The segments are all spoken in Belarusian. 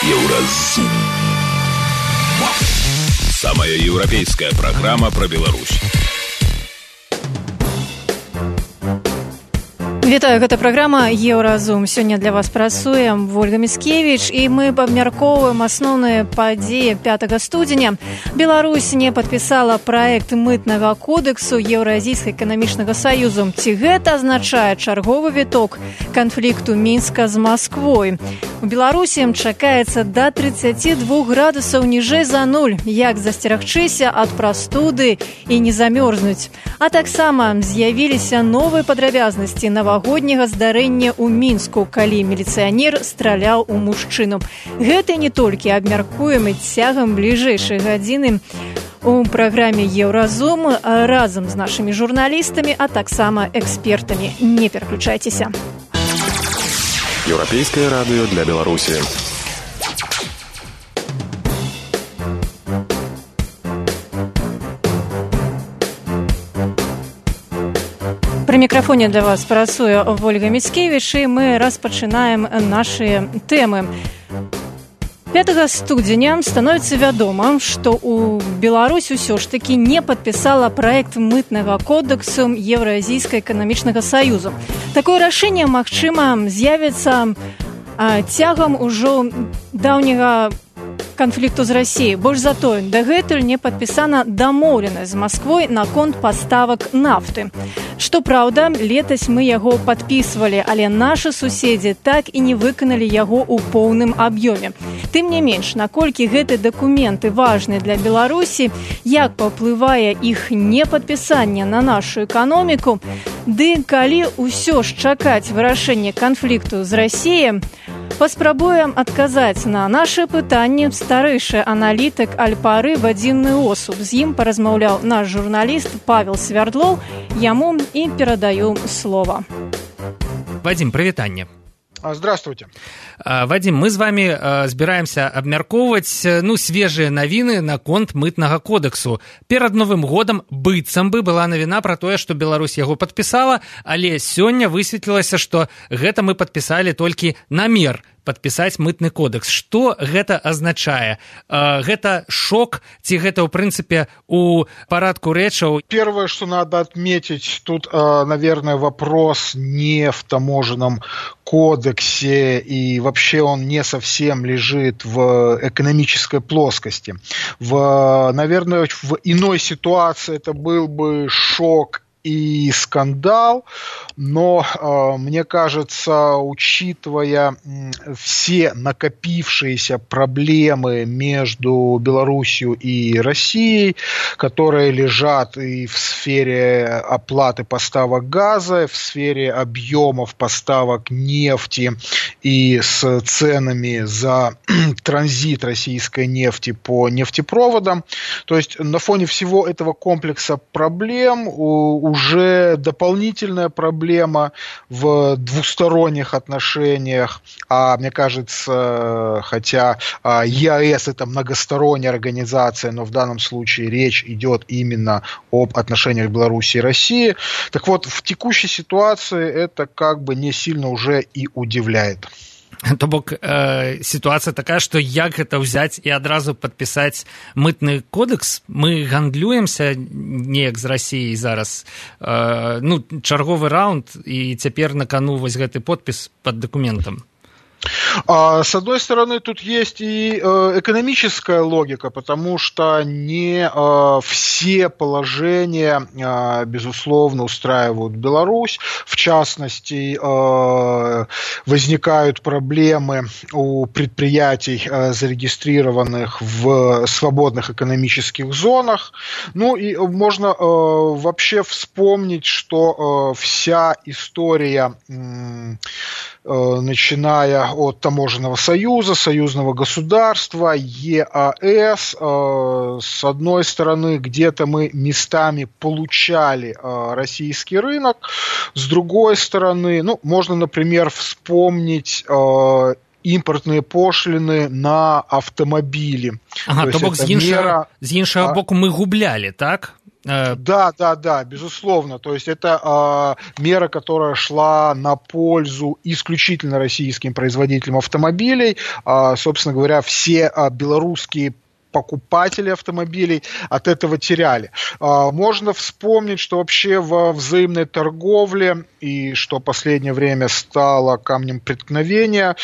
Еўразум. Самая европейская программа про Беларусь. Вітаю, гэта праграма «Еўразум». Сёння для вас працуем Ольга Міцкевіч, і мы абмяркоўваем асноўныя падзеі 5 студзеня. Беларусь не падпісала праект мытнага кодексу Еўразійскага эканамічнага саюзу. Ці гэта азначае чарговы віток канфлікту Мінска з Масквой? У Беларусі чакаецца да 32 градусаў ніжэй за нуль. Як засцерагчыся ад прастуды і не замёрзнуць? А таксама з'явіліся новыя падрабязнасці навагодняга здарэння ў Мінску, калі міліцыянер страляў у мужчыну. Гэта не толькі абмяркуем і цягам бліжэйшай гадзіны у праграме «Еўразум» разам з нашымі журналістамі, а таксама экспертамі. Не пераключайцеся. Еўрапейскае радыё для Беларусі. Пры мікрафоне для вас працуе Ольга Міцкевіч, і мы распачынаем нашы тэмы. 5 студзеня становіцца вядома, што ў Беларусь усё ж такі не падпісала праект мытнага кодексу Еўразійскага эканамічнага саюзу. Такое рашэнне, магчыма, з'явіцца цягам ужо даўняга канфлікту з Расіяй. Больш за тое, дагэтуль не падпісана дамоўленасць з Масквой наконт паставак нафты. Што праўда, летась мы яго падпісвалі, але нашы суседзі так і не выканалі яго ў поўным аб'ёме. Тым не менш, наколькі гэты дакументы важны для Беларусі, як паўплывае іх непадпісанне на нашу эканоміку, ды калі ўсё ж чакаць вырашэння канфлікту з Расіяй, паспрабуем адказаць на нашы пытанні старэйшы аналітык Альпары Вадзім Осуп. З ім паразмаўляў наш журналіст Павел Свярдлоў. Яму і перадаю слова. Вадзім, прывітанне. Здравствуйте. Вадим, мы з вами збіраемся абмяркоўваць свежыя навіны наконт мытнага кодексу. Перад Новым годам быццам бы была навіна пра тое, што Беларусь яго падпісала, але сёння высветлілася, што гэта мы падпісалі толькі намер падпісаць мытны кодекс. Што гэта азначае? Гэта шок ці гэта, ў прынцыпе, у парадку рэчаў? Первое, что надо отметить, тут, наверное, вопрос не в таможенном кодексе, и вообще он не совсем лежит в экономической плоскости. Наверное, в иной ситуации это был бы шок и скандал, но, мне кажется, учитывая все накопившиеся проблемы между Беларусью и Россией, которые лежат и в сфере оплаты поставок газа, в сфере объемов поставок нефти и с ценами за транзит российской нефти по нефтепроводам, то есть на фоне всего этого комплекса проблем уже дополнительная проблема в двусторонних отношениях, а мне кажется, хотя ЕАЭС это многосторонняя организация, но в данном случае речь идет именно об отношениях Беларуси и России, так вот, в текущей ситуации это как бы не сильно уже и удивляет. То бок сітуацыя такая, што як гэта ўзяць і адразу падпісаць мытны кодекс? Мы гандлюемся неяк з Расіяй зараз. Чарговы раунд, і цяпер на кану вось гэты подпіс пад дакументам. С одной стороны, тут есть и экономическая логика, потому что не все положения, безусловно, устраивают Беларусь. В частности, возникают проблемы у предприятий, зарегистрированных в свободных экономических зонах. И можно вообще вспомнить, что вся история, начиная от Таможенного союза, союзного государства, ЕАЭС, с одной стороны, где-то мы местами получали российский рынок, с другой стороны, можно, например, вспомнить импортные пошлины на автомобили. То бок з іншага боку мы гублялі, так? Да, безусловно. То есть это мера, которая шла на пользу исключительно российским производителям автомобилей. Собственно говоря, все белорусские покупатели автомобилей от этого теряли. Можно вспомнить, что вообще во взаимной торговле, и что последнее время стало камнем преткновения,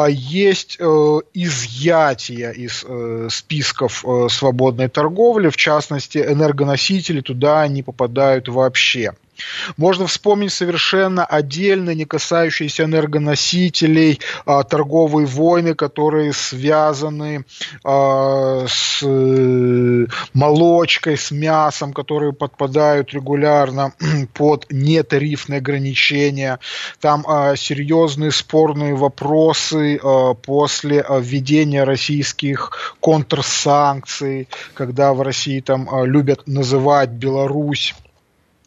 есть изъятие из списков свободной торговли, в частности, энергоносители туда не попадают вообще. Можно вспомнить совершенно отдельно, не касающиеся энергоносителей, торговые войны, которые связаны с молочкой, с мясом, которые подпадают регулярно под нетарифные ограничения. Там серьезные спорные вопросы после введения российских контрсанкций, когда в России там любят называть Беларусь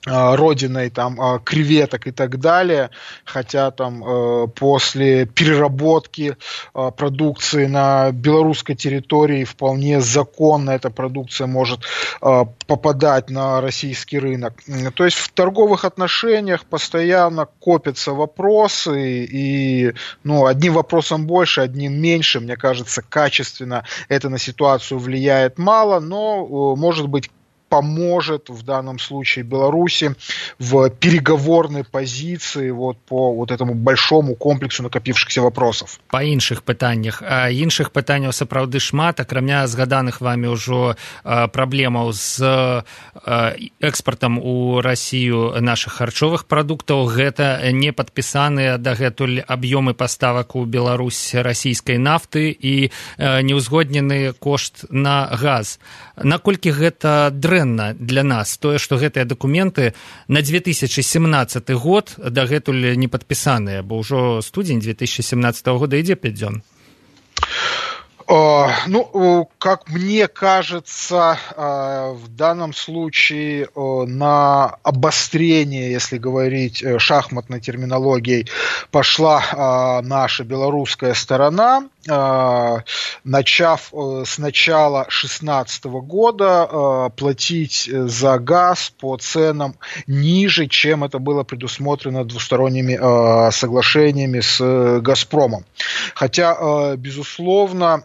родиной там креветок и так далее, хотя там после переработки продукции на белорусской территории вполне законно эта продукция может попадать на российский рынок. То есть в торговых отношениях постоянно копятся вопросы, и одним вопросом больше, одним меньше. Мне кажется, качественно это на ситуацию влияет мало, но может быть поможет в данном случае Беларуси в переговорной позиции по этому большому комплексу накопившихся вопросов. Па іншых пытаннях. Іншых пытанняў сапраўды шмат, акрамя згаданых вами ўжо праблемаў з экспартам у Расію нашых харчовых прадуктаў. Гэта не падпісаныя дагэтуль аб'ёмы паставак у Беларусь расійскай нафты і неўзгоднены кошт на газ. Наколькі гэта дрэнна для нас, тое, што гэтыя дакументы на 2017 год дагэтуль не падпісаныя, бо ўжо студзень 2017 года ідзе 5 дзён. Как мне кажется, в данном случае на обострение, если говорить шахматной терминологией, пошла наша белорусская сторона, начав с начала 2016 года платить за газ по ценам ниже, чем это было предусмотрено двусторонними соглашениями с «Газпромом». Хотя, безусловно,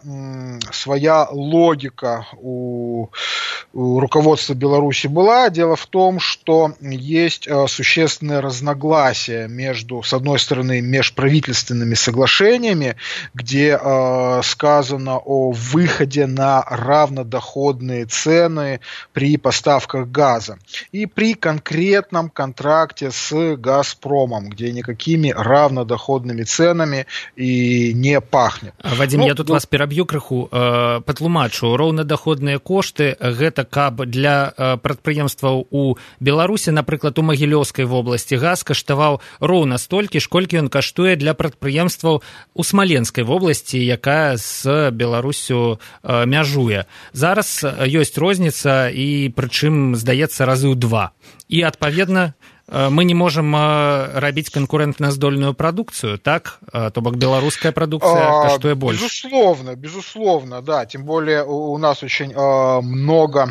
своя логика у руководства Беларуси была. Дело в том, что есть существенное разногласие между, с одной стороны, межправительственными соглашениями, где сказано о выходе на равнодоходные цены при поставках газа, и при конкретном контракте с «Газпромом», где никакими равнодоходными ценами и не пахнет. Вадим, я тут вас пераб'ю крыху, патлумачу. Роўнадоходныя кошты гэта каб для прадпрыемстваў у Беларусі, напрыклад, у Магілёўскай вобласці газ каштаваў роўна столькі ж, колькі ён каштуе для прадпрыемстваў у Смаленскай вобласці, якая з Беларусю мяжуе. Зараз ёсць розніца, і прычым, здаецца, разы ў 2. І, адпаведна, мы не можем рабіць конкурентноздольную продукцию, так? То бок белорусская продукция каштуе больше. Безусловно, да. Тем более у нас очень много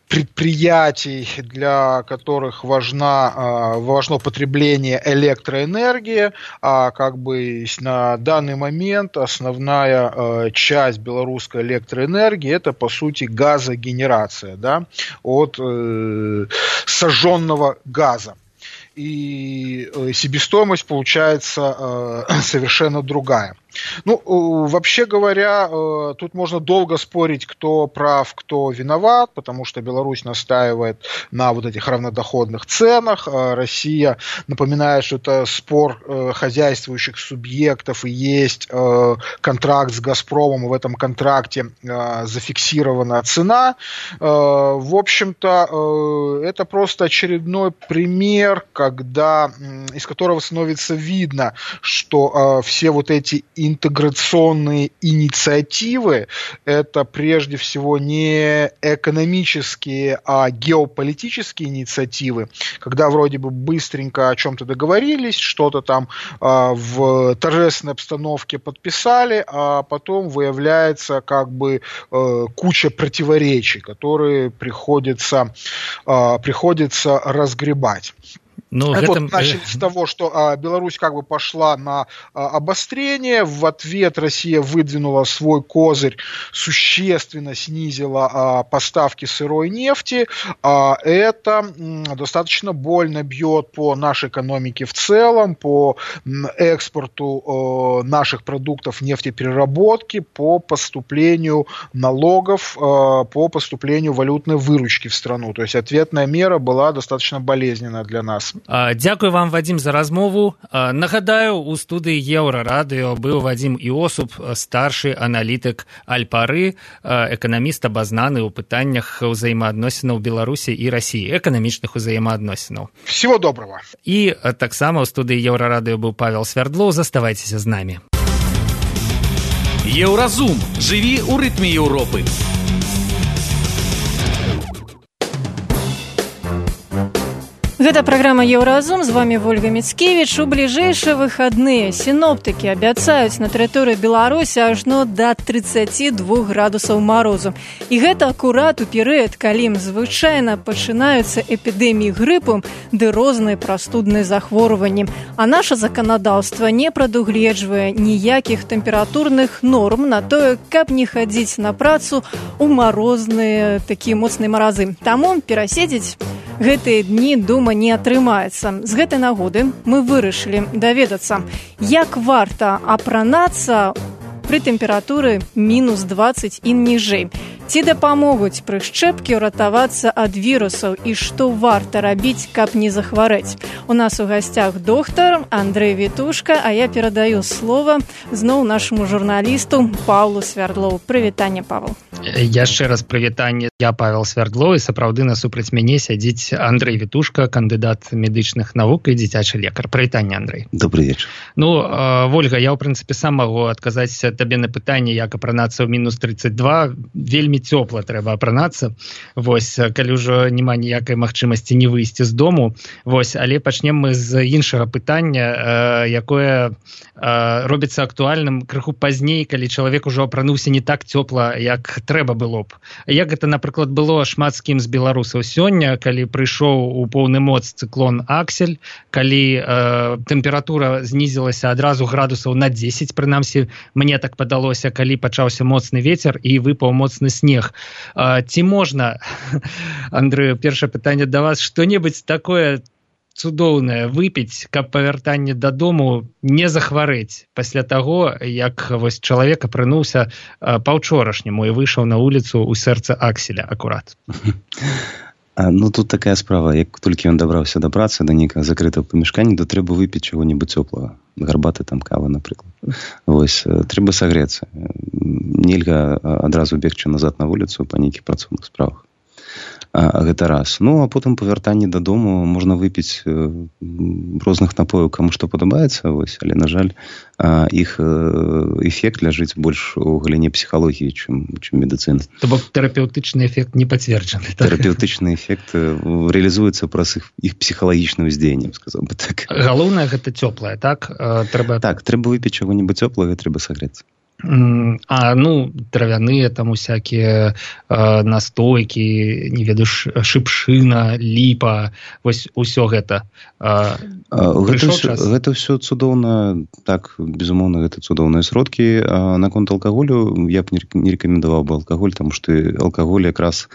предприятий, для которых важно потребление электроэнергии, а как бы на данный момент основная часть белорусской электроэнергии это, по сути, газогенерация, да, от сожженного газа. И себестоимость получается совершенно другая. Вообще говоря, тут можно долго спорить, кто прав, кто виноват, потому что Беларусь настаивает на вот этих равнодоходных ценах. Россия напоминает, что это спор хозяйствующих субъектов, и есть контракт с «Газпромом», и в этом контракте зафиксирована цена. В общем-то, это просто очередной пример, из которого становится видно, что все вот эти интеграционные инициативы – это прежде всего не экономические, а геополитические инициативы, когда вроде бы быстренько о чем-то договорились, что-то там в торжественной обстановке подписали, а потом выявляется как бы куча противоречий, которые приходится разгребать. Ну, вот начали с того, что Беларусь как бы пошла на обострение, в ответ Россия выдвинула свой козырь, существенно снизила поставки сырой нефти, это достаточно больно бьет по нашей экономике в целом, по экспорту наших продуктов нефтепереработки, по поступлению налогов, по поступлению валютной выручки в страну. То есть ответная мера была достаточно болезненная для нас. Дзякуй вам, Вадим, за размову. Нагадаю, у студыі Еўрарадыё быў Вадим Іосуп, старшы аналітык Альпары, эканаміст, абазнаны ў пытаннях ўзаемаадносінаў Беларусі і Расіі, эканамічных узаемаадносінаў. Всего доброго. І таксама ў студыі Еўрарадыё быў Павел Свярдлоў. Заставайцеся з намі. Еўразум. Жыві ў рытме Еўропы. Гэта праграма «Еўразум», з вами Вольга Мицкевич. У бліжэйшыя выхадныя сіноптыкі абяцаюць на тэрыторыі Беларусі ажно да 32 градусаў марозу. І гэта акурат у перыяд, калі звычайна пачынаюцца эпідэміі грыпу ды розныя прастудныя захворванні. А наша заканадаўства не прадугледжвае ніякіх тэмпературных норм на тое, каб не хадзіць на працу ў марозныя такія моцныя маразы. Таму пераседзець гэтыя дні, дома не атрымаецца. З гэтай нагоды мы вырашылі даведацца, як варта апранацца пры тэмпературы мінус 20 і ніжэй. Ці дапамогуць прышчэпкі ўратавацца ад вірусаў і што варта рабіць, каб не захварэць. У нас у гасцях доктар Андрэй Вітушка, а я перадаю слова зноў нашаму журналісту Павлу Свярдлоў. Прывітанне, Павел. Яшчэ раз прывітанне. Я Павел Свярдлоў, і сапраўды насупраць мяне сядзіць Андрэй Вітушка, кандыдат медычных навук і дзіцячы лекар. Прывітанне, Андрэй. Добрый вечар. Ну, Вольга, я ў прынцыпе сам магу адказаць табе на пытанне, як апранацца ў мінус 32. Вельмі цёпла трэба апранацца. Вось, калі ўжо няма ніякай магчымасці не выйсці з дому. Вось, але пачнем мы з іншага пытання, якое робіцца актуальным крыху пазней, калі чалавек ужо апрануўся не так цёпла, як трэба было б. Як гэта, напрыклад, было шмат з кім з беларусаў сёння, калі прыйшоў у поўны моц цыклон Аксель, калі тэмпература знізілася адразу градусаў на 10, прынамсі, мне так падалося, калі пачаўся моцны вецер і выпаў моцны снег. Ці можна, Андрэй, першае пытанне да вас, што-небудзь такое цудоўнае выпіць, каб па вяртанні дадому не захварэць пасля таго, як вось чалавек апрануўся паўчорашняму і выйшаў на вуліцу ў сэрца Акселя акурат? Ну, тут такая справа. Як толькі ён дабраўся да працы, да нейкага закрытага памяшкання, то трэба выпіць чаго-небудзь цёплага. Гарбаты, там, кава, напрыклад. Вось, трэба сагрэцца. Нельга адразу бегчы назад на вуліцу па нейкіх працоўных справах. Гэта раз. Ну, а потым па вяртанні дадому можна выпіць розных напояў, каму што падабаецца, вось, але, на жаль, іх эфект ляжыць больш у галіне псіхалогіі, чым медыцыны. То бок тэрапеўтычны эфект не пацверджаны. Тэрапеўтычны эфект рэалізуецца праз іх псіхалагічнае ўздзеянне, сказаў бы так. Галоўнае гэта цёплае, так? Так, трэба выпіць чаго-небудзь цёплага, трэба сагрэцца. Ну, травяныя там усякія настойкі, не ведаю, шыпшына, ліпа, вось усё гэта. Гэта ўсё цудоўна, так, безумоўна, гэта цудоўныя сродкі. Наконт алкаголю я б не рэкамендаваў бы алкаголь, таму што алкаголь якраз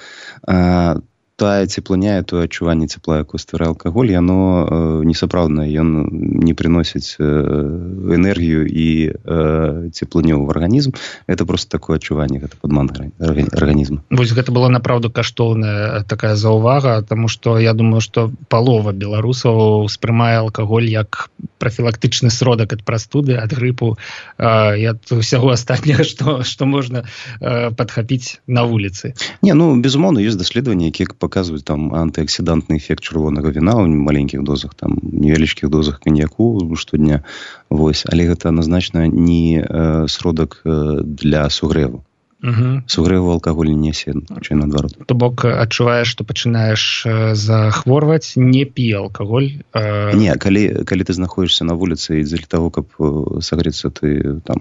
тая цеплыня, тое адчуванне цепла, якое стварае алкаголь, яно несапраўднае, ён не прыносіць энергію і цеплыню ў арганізм. Гэта проста такое адчуванне, гэта падман арганізма. Вось гэта была направду каштоўная такая заўвага, таму што я думаю, што палова беларусаў успрымае алкаголь як прафілактычны сродак ад прастуды, ад грыпу і ад усяго астатняга, што можна падхапіць на вуліцы. Не, ну, безумоўна, ёсць даследаванні, якія паказваюць там антыаксідантны эфект чырвонага віна ў маленькіх дозах, там невялічкіх дозах каньяку штодня. Вось, але гэта адназначна не сродак для сугрэву. Сугрэву алкаголь не нясе, хутчэй наадварот. То бок адчуваеш, што пачынаеш захворваць, не пі алкаголь? Не, калі ты знаходзішся на вуліцы і дзеля таго, каб сагрэцца, ты там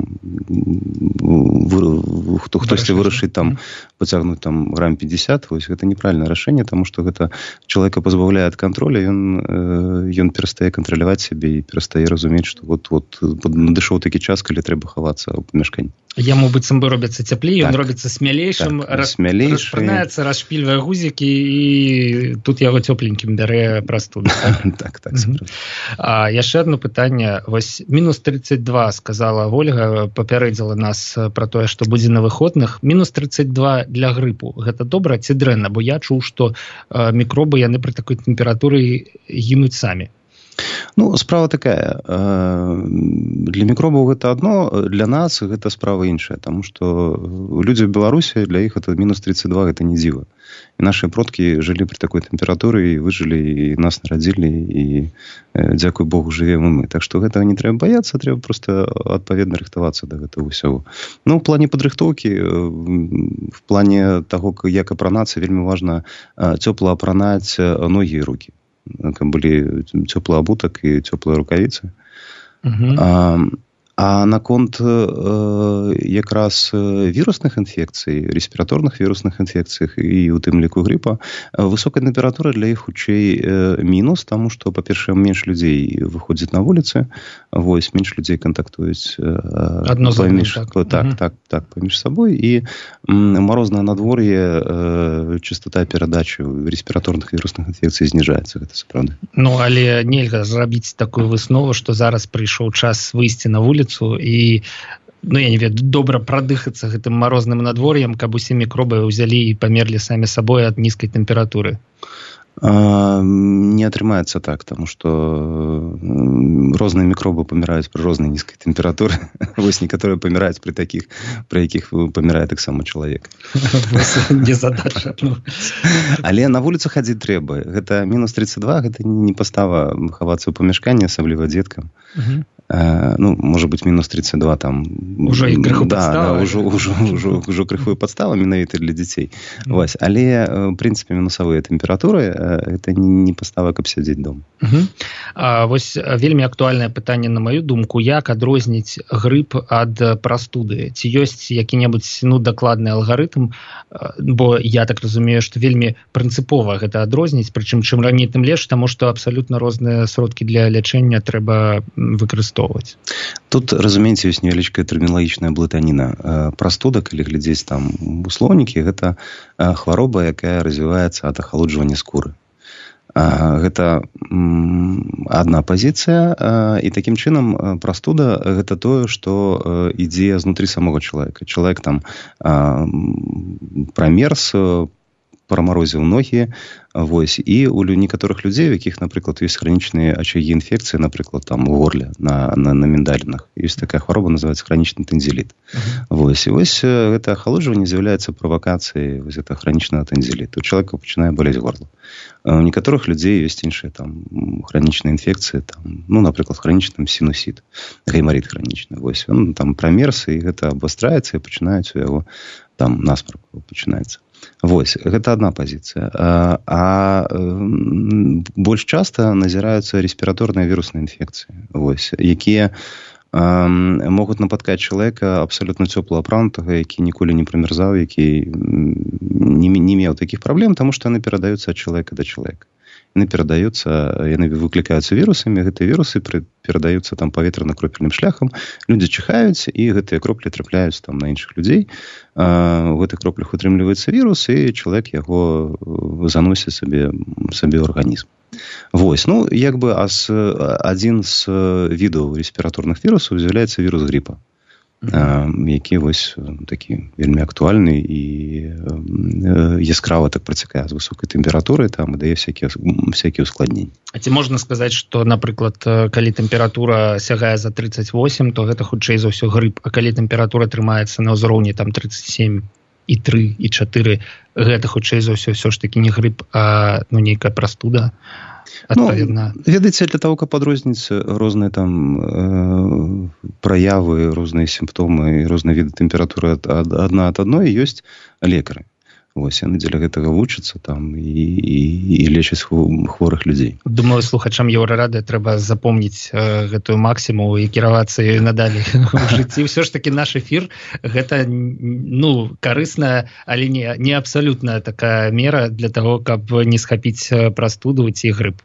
хтосьці вырашыць там пацягнуць там грам 50, вось гэта неправільнае рашэнне, таму што гэта чалавека пазбаўляе ад контроля, ён перастае кантраляваць сябе і перастае разумець, што вот надышоў такі час, калі трэба хавацца ў памяшканні. Яму быццам бы робіцца цяплей, ён робіцца смялейшым, распранаецца, расшпільвае гузікі, і тут яго цёпленькім бярэ прастуду. Так. Яшчэ одно пытанне. Вось мінус 32, сказала Вольга, папярэдзіла нас пра тое, што будзе на выходных. Мінус 32 для грыпу. Гэта добра ці дрэнна? Бо я чуў, што мікробы, яны пры такой тэмпературы гінуць самі. Ну, справа такая. Для мікробаў гэта адно, для нас гэта справа іншая, таму што людзі ў Беларусі, для іх это мінус 32, гэта не дзіва. І нашыя продкі жылі пры такой тэмпературы, і выжылі, і нас нарадзілі, і, дзякуй Богу, жывем і мы. Так што гэтага не трэба баяцца, трэба проста адпаведна рыхтавацца да гэтага ўсяго. Ну, ў плане падрыхтоўкі, в плане таго, як апранацца, вельмі важна цёпла апранаць ногі і рукі. Каб былі цёплы абутак і цёплыя рукавіцы. А наконт якраз вірусных інфекцый, респіраторных вірусных інфекцыях і у тым ліку грыпа, высокая тэмпература для іх хутчэй мінус, таму што, па-першае, менш людзей выходзіць на вуліцы, вось, менш людзей кантактуюць паміж сабой, і марознае надвор'е, частота перадачы респіраторных вірусных інфекцый зніжаецца, гэта сапраўды. Ну, але нельга зрабіць такую выснову, што зараз прыйшоў час выйсці на вуліцу і, ну, я не ведаю, добра прадыхацца гэтым марозным надвор'ем, каб усе мікробы ўзялі і памерлі самі сабой ад нізкай тэмпературы. Не атрымаецца так, таму што розныя мікробы паміраюць пры рознай нізкай тэмпературы. Вось некаторыя паміраюць пры такіх, пры якіх памірае таксама чалавек. Не задача. Але на вуліцу хадзіць трэба. Гэта мінус 32, гэта не пастава хавацца ў памяшканні, асабліва дзеткам. Ну, можа быць, мінус 32 там... Ужо і крыху падстава. Ужо крыху падстава, менавіта для дзяцей. Вось. Але, в прынцыпе, мінусавыя тэмпературы, гэта не пастава, каб сядзець дома. Вось вельмі актуальнае пытанне, на маю думку, як адрозніць грып ад прастуды? Ці ёсць які-небудзь, ну, дакладны алгарытм? Бо я так разумею, што вельмі прынцыпова гэта адрозніць, прычым чым раней, тым лепш, таму што абсалютна розныя сродкі для лячэння трэба выкарыстоўваць. Тут, разумееце, ёсць невялічкая тэрміналагічная блытаніна. Прастуда, калі глядзець там у слоўнікі, гэта хвароба, якая развіваецца ад ахалоджвання скуры. Гэта адна пазіцыя, і такім чынам прастуда гэта тое, што ідзе знутры самога чалавека. Чалавек там прамерз, прамарозіў ногі, вось, і у некаторых людзей, у якіх, напрыклад, ёсць хранічныя ачагі інфекцыі, напрыклад, там у горле, на міндалінах. Ёсць такая хвароба, называецца хранічны тэнзіліт. Вось, і вось гэта ахалоджванне з'яўляецца правакацыяй вось гэта хранічнага тэнзіліту. У чалавека пачынае балець горла. У некаторых людзей ёсць іншыя там хранічныя інфекцыі, там, ну, напрыклад, хранічны сінусіт, гаймарыт хранічны. Вось, ён там прамерз, і гэта абвастраецца, і пачынаюць у яго там насмарк пачынаецца. Вось, гэта адна пазіцыя. А больш часта назіраюцца респіраторныя вірусныя інфекцыі, вось, якія могуць напаткаць чалавека абсалютна цёпла апранутага, які ніколі не прамерзаў, які не меў такіх праблем, таму што яны перадаюцца ад чалавека да чалавека. Яны перадаюцца, яны выклікаюцца вірусамі, гэтыя вірусы перадаюцца там паветрана-кропельным шляхам, людзі чихаюць, і гэтыя кроплі трапляюць там на іншых людзей. У гэтых кроплях утрымліваецца вірус, і чалавек яго заносіць сабе ў арганізм. Вось, ну, як бы адзін з відаў респіраторных вірусаў з'яўляецца вірус грипа, які вось такі вельмі актуальны і яскрава так працякае з высокай тэмпературай, там і дае всякія ускладненні. А ці можна сказаць, што, напрыклад, калі тэмпература сягае за 38, то гэта хутчэй за ўсё грып, а калі тэмпература трымаецца на ўзроўні там 37,5, і 3, і 4, гэта хутчэй за ўсё ж такі не грып, а нейкая прастуда. Ведаеце, для того, каб адрозніць розныя там праявы, розныя сімптомы, розныя віды тэмпературы адна ад адной, ёсць лекары. Вось, яны дзеля гэтага вучацца там і лечаць хворых людзей. Думаю, слухачам Еўрарады трэба запомніць гэтую максіму і кіравацца ёй надалей у жыцці. Ўсё ж такі наш эфір гэта карысная, але не абсалютная такая мера для того, каб не схапіць прастуду ці грып.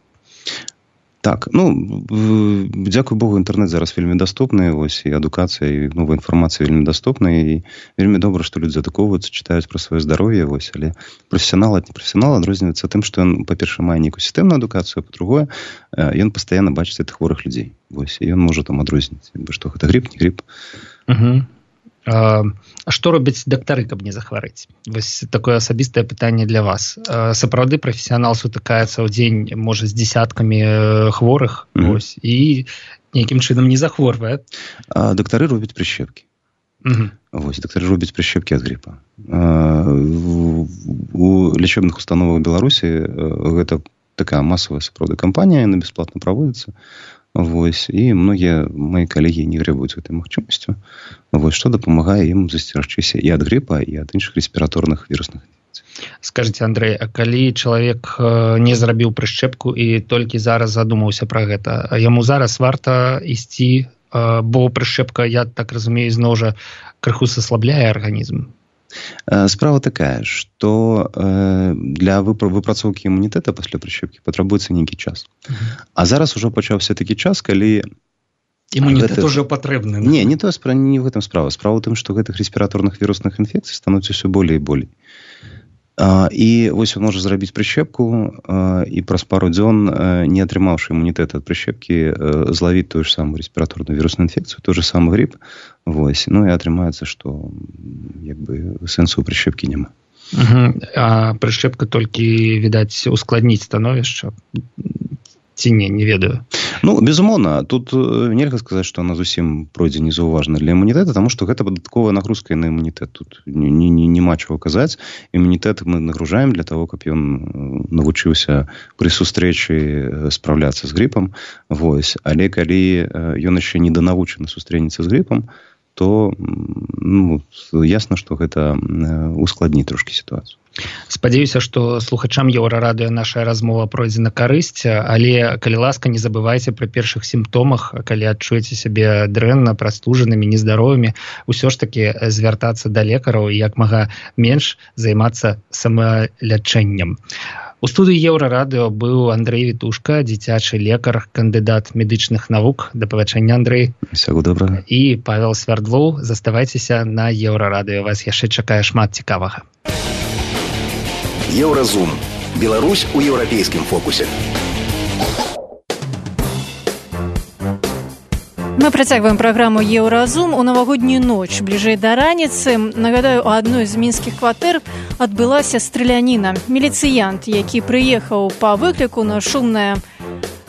Так, дзякуй Богу, інтэрнэт зараз вельмі даступны, вось, і адукацыя, і новая інфармацыя вельмі даступна, і вельмі добра, што людзі адукоўваюцца, чытаюць пра сваё здароўе, вось, але прафесіянал ад непрафесіянала адрозніваецца тым, што ён, па-першае, мае нейкую сістэмную адукацыю, а па-другое, ён пастаянна бачыць гэтых хворых людзей. Вось, і ён можа там адрозніць, што гэта грып, не грып. А што робяць дактары, каб не захварэць? Вось такое асабістае пытанне для вас. Сапраўды прафесіянал сутыкаецца ў дзень, можа, з дзесяткамі хворых, вось, і нейкім чынам не захворвае. Дактары робяць прышчэпкі. Вось, дактары робяць прышчэпкі ад грыпа. У лячэбных установах Беларусі гэта такая масавая сапраўды кампанія, яна бясплатна праводзіцца. Вось, і многія мои калегі не грэбуюць гэтай магчымасцю, вось, што дапамагае ім засцерагчыся і ад грыпа, і ад іншых рэспіраторных вірусных інфекцый. Скажыце, Андрэй, а калі чалавек не зрабіў прышчэпку і толькі зараз задумаўся пра гэта, яму зараз варта ісці, бо прышчэпка, я так разумею, зноў жа крыху саслабляе арганізм? Справа такая, што для выпрацоўкі імунітэта пасля прышчэпкі патрабуецца нейкі час. А зараз ужо пачаўся такі час, калі... Імунітэт ужо патрэбны. Не в гэтым справа. Справа ў тым, што гэтых рэспіраторных вірусных інфекцый становіцца ўсё болей і болей. І вось он можа зрабіць прышчэпку і праз пару дзён, не атрымаўшы імунітэт ад прышчэпкі, злавіць тую ж самую рэспіраторную вірусную інфекцыю, той же самы грып. Вось. Ну і атрымаецца, што як бы сэнсу ў прышчэпкі няма. А прышчэпка толькі, відаць, ускладніць становішча? Ці не ведаю. Безумоўна, тут нельга сказаць, што она зусім пройдзе незаўважна для імунітэта, таму што гэта дадатковая нагрузка на імунітэт. Тут няма чаго казаць. Імунітэт мы нагружаем для того, каб ён навучыўся пры сустрэчы спраўляцца з грыпам. Вось. Але калі ён яшчэ неданавучаны сустрэнецца з грыпам, то ясна, што гэта ускладніць трошкі сітуацыю. Спадзяюся, што слухачам Еўрарадыё наша размова пройдзе на карысць, але, калі ласка, не забывайце пра першых сімптомах, калі адчуеце сябе дрэнна, прастужанымі, нездаровымі, усё ж такі звяртацца да лекараў і як мага менш займацца самалячэннем. У студыі Еўрарадыё быў Андрэй Вітушка, дзіцячы лекар, кандыдат медычных навук. Да пабачэння, Андрэй. Усяго добрага. І Павел Свярдлоў. Заставайцеся на Еўрарадыё. Вас яшчэ чакае шмат цікавага. Еўразум. Беларусь у еўрапейскім фокусе. Мы працягваем праграму «Еўразум» у навагоднюю ноч. Бліжэй да раніцы, нагадаю, у адной з мінскіх кватэр адбылася страляніна. Міліцыянт, які прыехаў па выкліку на шумнае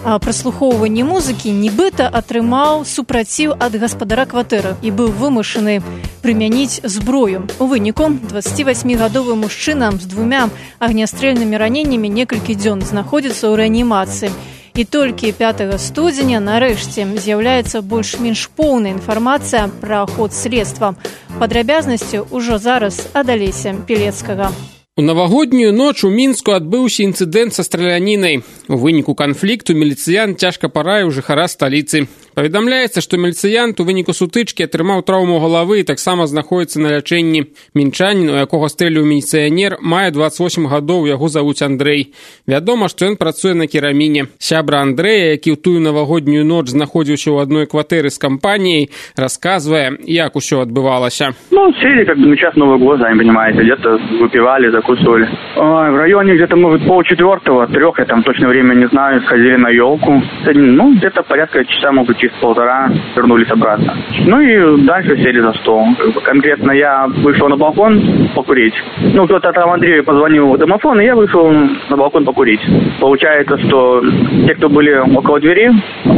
праслухоўванне музыкі, нібыта атрымаў супраціў ад гаспадара кватэры і быў вымушаны прымяніць зброю. У выніку 28-гадовы мужчына з 2 агнястрэльнымі раненнямі некалькі дзён знаходзіцца ў рэанімацыі. І толькі 5 студзеня нарэшце з'яўляецца больш-менш поўная інфармацыя пра ход следства. Падрабязнасці ўжо зараз ад Алеся Пілецкага. У навагоднюю ноч у Мінску адбыўся інцыдэнт са стралянінай. У выніку канфлікту міліцыянт цяжка параіў жыхара сталіцы. Паведамляецца, што міліцыянт у выніку сутычкі атрымаў траўму галавы і таксама знаходзіцца на лячэнні. Мінчанін, у якога стрэліў міліцыянер, мае 28 гадоў, яго завуць Андрэй. Вядома, што ён працуе на кераміне. Сябра Андрэя, які ў тую навагоднюю ноч знаходзіўся ў адной кватэры з кампаніяй, расказвае, як усё адбывалася. Сели как бы на час Нового года, сами понимаете, где-то выпивали, закусывали. В районе где-то, может, 3:30, 3, я там точно время не знаю, сходили на елку. Ну, где-то порядка часа, может быть, через 1,5 вернулись обратно. Ну и дальше сели за стол. Конкретно я вышел на балкон покурить. Ну, кто-то там Андрею позвонил в домофон, и я вышел на балкон покурить. Получается, что те, кто были около двери,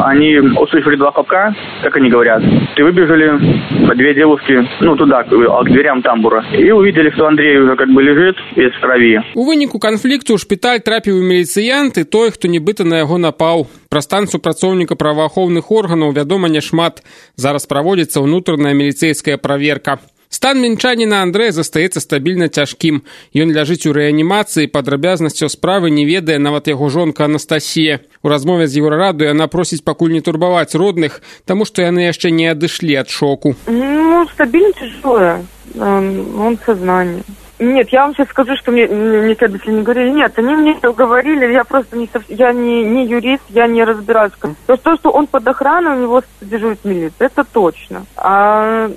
они услышали 2 хлопка, как они говорят, и выбежали 2 девушки, ну, туда, к дверям тамбура. И увидели, что Андрей уже как бы лежит весь в крови. У выніку канфлікту ў шпіталь трапіў міліцыянт і той, хто нібыта на яго напаў. Пра стан супрацоўніка праваахоўных органаў вядома няшмат. Зараз праводзіцца ўнутраная міліцэйская праверка. Стан мінчаніна Андрэя застаецца стабільна цяжкім. Ён ляжыць у рэанімацыі, падрабязнасцяў справы не ведае нават яго жонка Анастасія. У размове з Еўрарадыё яна просіць пакуль не турбаваць родных, таму што яны яшчэ не адышлі ад шоку. Ну, стабильно тяжелое. Он в сознании. Нет, я вам сейчас скажу, что мне следователи не говорили. Нет, они мне говорили, я просто я не юрист, я не разбираюсь. То, что он под охраной, у него дежурит милиция, это точно. А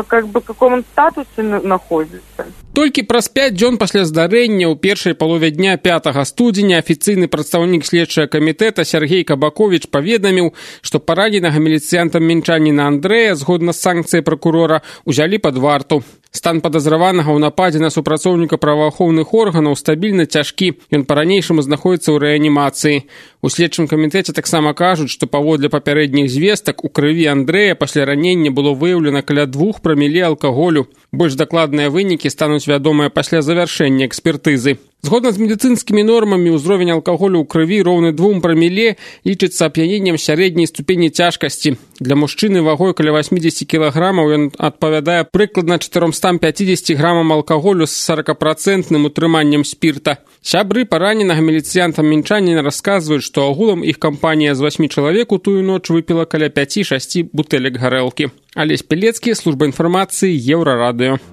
как бы в каком он статусе находится? Толькі праз 5 дзён пасля здарэння ў першай палове дня 5 студзеня афіцыйны прадстаўнік следчага камітэта Сергей Кабаковіч паведаміў, што параненага міліцыянтам мінчаніна Андрэя, згодна з санкцыяй пракурора, узялі пад варту. Стан падазраванага ў нападзе на супрацоўніка праваахоўных органаў стабільна цяжкі. Ён па-ранейшаму знаходзіцца ў рэанімацыі. У следчым камітэце таксама кажуць, што паводле папярэдніх звестак у крыві Андрэя пасля ранення было выяўлена каля 2 праміле алкаголю. Больш дакладныя вынікі стануць вядомыя пасля завяршэння экспертызы. Згодна з медыцынскімі нормамі, ўзровень алкаголю ў крыві роўны 2 праміле лічыцца ап'яненнем сярэдняй ступені цяжкасці. Для мужчыны вагой каля 80 кілаграмаў ён адпавядае прыкладна 450 грамам алкаголю з 40% утрыманнем спірта. Сябры параненага міліцыянта мінчаніна расказваюць, што агулам іх кампанія з 8 чалавек у тую ноч выпіла каля 5-6 бутэлек гарэлкі. Алесь Пелецкі, служба інфармацыі, Еўрарадыё.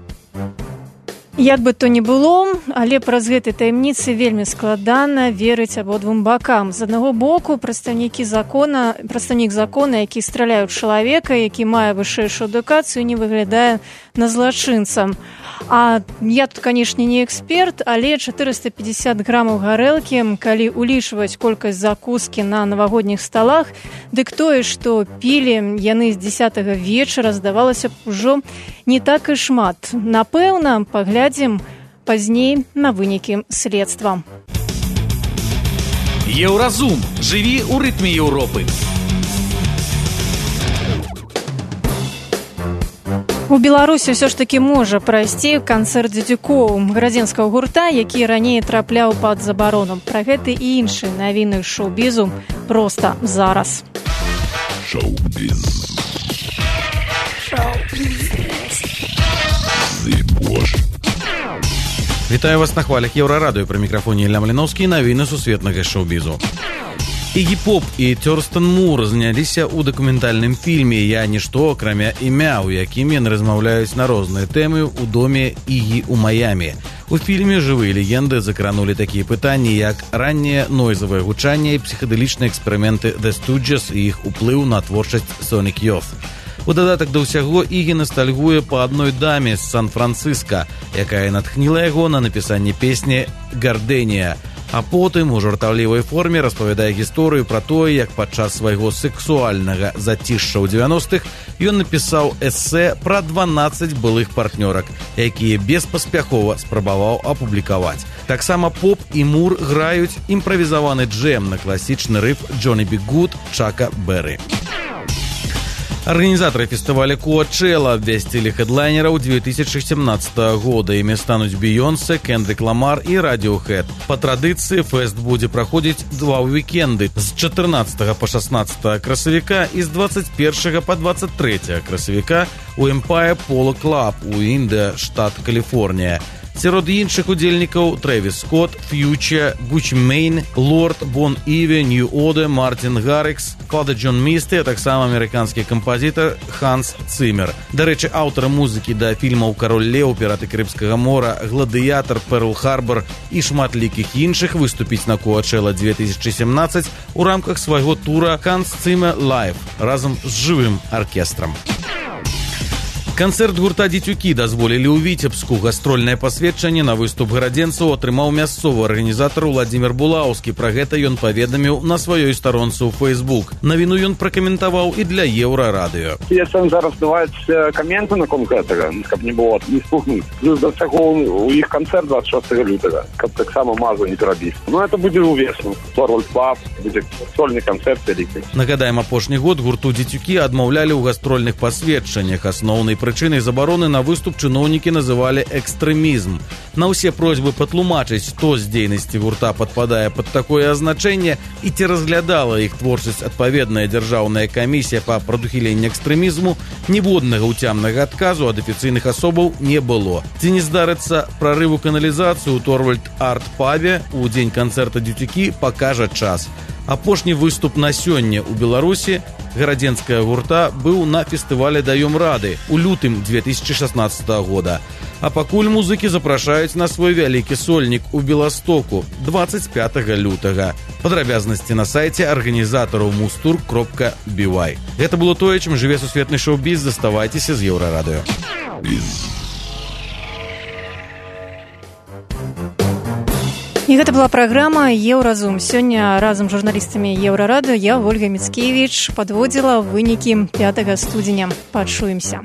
Як бы то ні было, але праз гэтай таямніцы вельмі складана верыць абодвум бакам. З аднаго боку, прадстаўнік закона, які страляе ў чалавека, які мае вышэйшую адукацыю, не выглядае на злачынцам. А я тут, канешне, не эксперт, але 450 грамаў гарэлкі, калі улічваць колькасць закускі на навагодніх сталах, дык тое, што пілі яны з 10 вечара, здавалася б, ужо не так і шмат. Напэўна, паглядзім пазней на вынікі следства. Еўразум. Жыві ў рытме Еўропы. У Беларусі ўсё ж такі можа прайсці канцэрт дзедзюкоў градзенскага гурта, які раней трапляў пад забарону. Пра гэта і іншыя навіны шоу-бізу проста зараз. Шоу-біз. Вітаю вас на хвалях Еўрарадыё. Пры мікрафоне Ілля Маліноўскі, навіны сусветнага шоу-бізу. Ігі Поп і Тёрстен Мур зняліся ў дакументальным фільме «Я нішто, акрамя імя», у якім яны размаўляюць на розныя тэмы ў доме Ігі ў Маямі. У фільме жывыя легенды закранулі такія пытанні, як ранняе нойзавае гучанне і псіхадэлічныя эксперыменты The Stooges і іх уплыў на творчасць Sonic Youth. У дадатак да ўсяго Ігі настальгуе па адной даме з Сан-Францыска, якая натхніла яго на напісанне песні «Гардэнія». А потым у жартаўлівай форме распавядае гісторыю пра тое, як падчас свайго сексуальнага зацішша ў 90-х ён напісаў эсэ пра 12 былых партнёрак, якія беспаспяхова спрабаваў апублікаваць. Таксама Поп і Мур граюць імправізаваны джэм на класічны рыф «Джонни Би Гуд» Чака Берры. Арганізатары фестываля Коачэла абвясцілі хедлайнераў 2017 года. Імі стануць Бейонсе, Кендрик Ламар і Радіохэд. Па традыцыі фэст будзе праходзіць 2 вікенды з 14 па 16 красавіка і з 21 па 23 красавіка у Empire Polo Club у Індэ, штат Каліфорнія. Сярод іншых удзельнікаў Трэвіс Скотт, Фьюча, Гуччи Мэйн, Лорд, Бон Іві, Нью Оде, Мартин Гаррикс, Фада Джон Місті, а таксама амерыканскі кампазітар Ханс Цымер. Дарэчы, аўтары музыкі да фільмаў «Кароль Леў», «Піраты Карыбскага мора», «Гладыятар», «Перл-Харбор» і шматлікіх іншых выступіць на Коачэла 2017 у рамках свайго тура «Ханс Цымер Лайв» разам з жывым аркестрам. Канцэрт гурта «Дзецюкі» дазволілі ў Віцебску. Гастрольнае пасведчанне на выступ гарадзенцаў атрымаў мясцовы арганізатар Владзімир Булаўскі. Пра гэта ён паведаміў на сваёй старонцы ў Facebook. Навіну ён пракаментаваў і для Еўрарадыё. Если зараз даваць каменты наконт гэтага, каб не было не спухнуць. Плюс да всяго у іх канцэрт 26 лютага, каб таксама мазу не перабіць. Ну, это будзе ўвесну. Торвальд Паб, будзе сольны канцэрт вялікі. Нагадаем, апошні год гурту «Дзецюкі» адмаўлялі ў гастрольных пасведчаннях. Асноўнай прычынай забароны на выступ чыноўнікі называлі экстрэмізм. На ўсе просьбы патлумачыць, што з дзейнасці гурта падпадае пад такое азначэнне і ці разглядала іх творчасць адпаведная дзяржаўная камісія па прадухіленні экстрэмізму, ніводнага ўцямнага адказу ад афіцыйных асобаў не было. Ці не здарыцца прарыву каналізацыю ў Торвальд Арт-пабе у дзень канцэрта «Дзецюкі» пакажа час. Апошні выступ на сёння ў Беларусі гарадзенская гурта быў на фестывале «Даём рады» у лютым 2016 года. А пакуль музыкі запрашаюць на свой вялікі сольнік у Беластоку 25 лютага. Падрабязнасці на сайце арганізатараў mustour.by. Гэта было тое, чым жыве сусветны шоу-біз. Заставайцеся з Еўрарадыё. І гэта была праграма «Еўразум». Сёння разам з журналістамі Еўрарадыё я, Ольга Міцкевіч, падводзіла вынікі 5 студзеня. Пачуемся.